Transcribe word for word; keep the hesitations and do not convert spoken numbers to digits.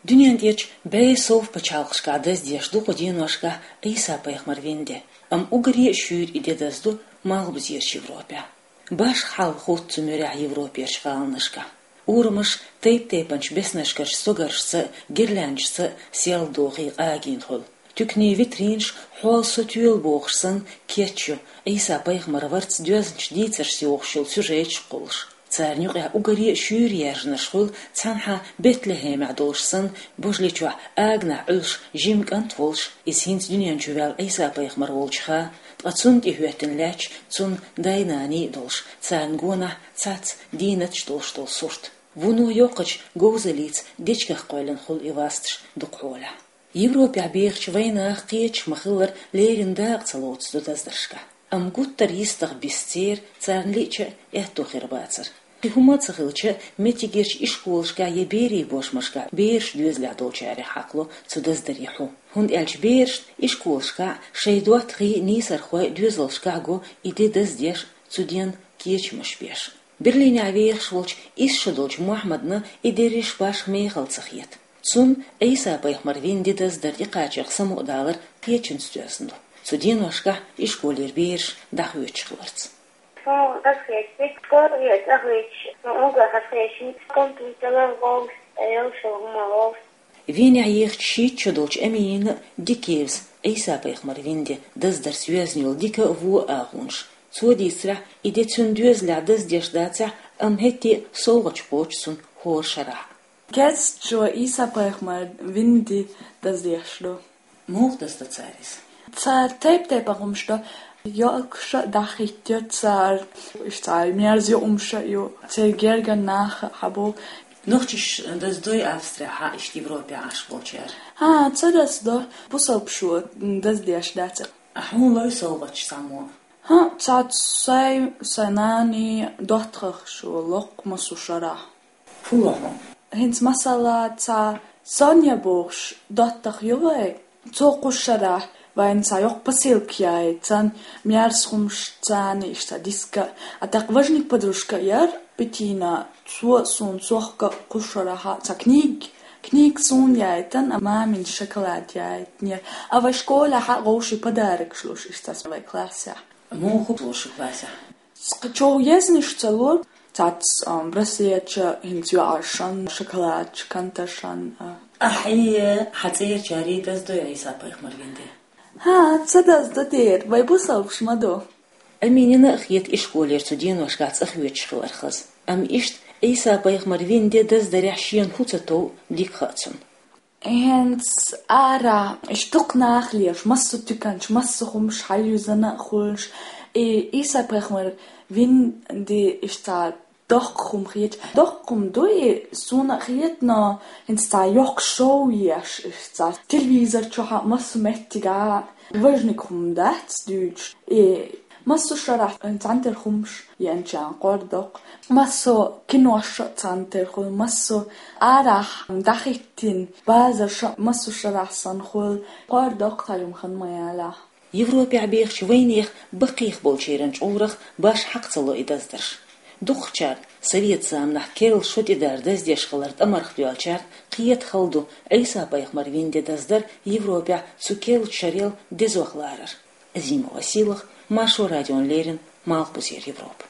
Дуьнен тӀерачу бӀе сов пачхьалкхашкахь даздеш ду кху деношкахь Ӏийса-пайхамар вина де, амма уггаре а шуьйра и де дазду Малхбузерчу Европехь. Башха хьал хӀутту цу муьрехь Европерчу гӀаланашкахь. Урамаш тайп-тайпанчу беснашкарчу стогаршца а, гирлянчашца а сел дохий къагийна хуьлу. Туьканийн витринаш хьол со тоьлу бохуш санна кечйо, Ӏийса-пайхамар варца доьзначу дийцаршца йохуш йолу сюжеташ кхуллуш. Царна юкъахь уггаре а шуьйра яьржинарш хуьлу цхьанхьа Бетлехемехь долуш санна, божале чохь аганахь Ӏуьллуш жима кӀант волуш, иза хӀинца дуьнен чу ваьлла Ӏийса-пайхамар волчуха, ткъа цунна тӀехӀоьттина лаьтташ цунна дай-наний а долуш, царна гонахь цхьацца дийнаташ долуш долу сурт. Вуно йоккхачу говзаллица дечигах кхоьллина хуьлу и васташ дукха хьолехь. Европехь бехачу вайнаха кхеташ ма-хиллара леррина дакъа ца лоцу цу даздаршкахь. Амма гуттар а йистах бисса церан, царна лиъча а аьтто хир бацара. Кхин хӀума а ца хилча, меттигерчу ишколашкахь я берийн бошмашкахь бераш доьзалехь долчарех хьакхало цу даздаре хьу. ХӀунда аьлча берашна ишколашкахь шайн доттагӀий, нийсархой доьзалшкахь го и де даздеш, цу денна кечамаш беш. Берлинехь вехаш волчу исс шо долчу Мохьмадна и де риш башха мехала ца хета. Цунна Ӏийса-пайхамар вина де даздар тӀекхачарх самукъадалар кхечанца доьзна ду. Цу деношкахь ишколера бераш дӀахоьцуш хиларца. Суна аса хетча, школе ца хеташ, суна уггар хаза хеташ, компьютер ловш, эл шо хӀума ловш. Венехь ехачу шийтта шо долчу Аминина а дика евза Ӏийса-пайхамар вина де даздарца йоьзна йолу дика а, вон а агӀонаш. Цо дийцарехь, и де цуьнан доьзалехь даздеш дацахь а, амма хӀетте а совгӀаташ кхочу цунна хӀора шарахь. Кест шо Ӏийса-пайхамар вина де даздеш ду. Муха дазду цара иза? Цара тайп-тайпана хӀумаш до, йоккхуш а дӀахӀиттайо цара, иштта цара мерза юкъамаш а ю, церан гергара нах а хьабо. Нохчаша даздой Австрехь а, иштта Европехь Ӏаш болчара? ХӀан, ца даздо, бусалба шо даздеш дац. А хьуна лой совгӀаташ цхьаммо? ХӀан, цхьацца сайн, сайн нанин доттагӀашна локху массо шарахь. Фу ло хьуна? ХӀинца масала цхьа Соня бохуш доттагӀа ю вайн. Цо кху шарахь вайна цхьа йоккха посылка яийтина, мерза хӀумаш царна, иштта диска. А тӀаккха важник подружка яра Петина, цо суна цохка кху шарахь цхьа книга, книга суна яийтина, а мамина шоколад яийтинера. А вай школехь а вовшийн подарокаш луш иштта вай классехь. Муха луш классехь? Цкъа чӀогӀа езнаш ца ло, цац, а, браслеташ, хӀинца йоӀаршна, шоколадаш, канташна, а. Ахьа, хьан цӀерачара даздой Ӏийса-пайхамар вина де? ХӀан, ца дазду дера, вай бусалбаш ма ду. Аминина а хета ишколера цу деношкахь цӀа хоьцуш хилар хаза. Амма иштта Ӏийса-пайхамар вина де даздарехь шена хӀу ца тов дика хаьа цунна. ХӀинца ара, иштта дукха нах лелаш, массо туьканаш, массо хӀумаш хьаюьзна а хуьлуш, и Ӏийса-пайхамар вина де иштта доккха хӀума хеташ. Доккха хӀума ду и, суна а хета, но хӀинца цхьа йоккха шоу еш, иштта телевизор чохь а, массо меттигехь а важник хӀума дац дуьйцуш. И массо шарахь цхьаьна тера хӀумаш еанчарна кхардоккху. Массо кинош а цхьаьна тера хуьлу, массо арахь дӀахӀиттина базарш а массо шарахь санна хуьлу. Кхардоккху тхьажам хан ма ялахь. Европехь бехачу вайнехан баккхийх болчеран чӀурах баш хьакха ца ло и даздарш. Дукхачара, совет заманахь керла шо тӀедар даздеш хилар тӀамарх доьллачара, кхета хала ду Ӏийса-пайхамар вина де даздар Европехь цу керлачу шарел дезох ларар. Азимова Силах, Маршо радиона леррина, Малхбузера Европа.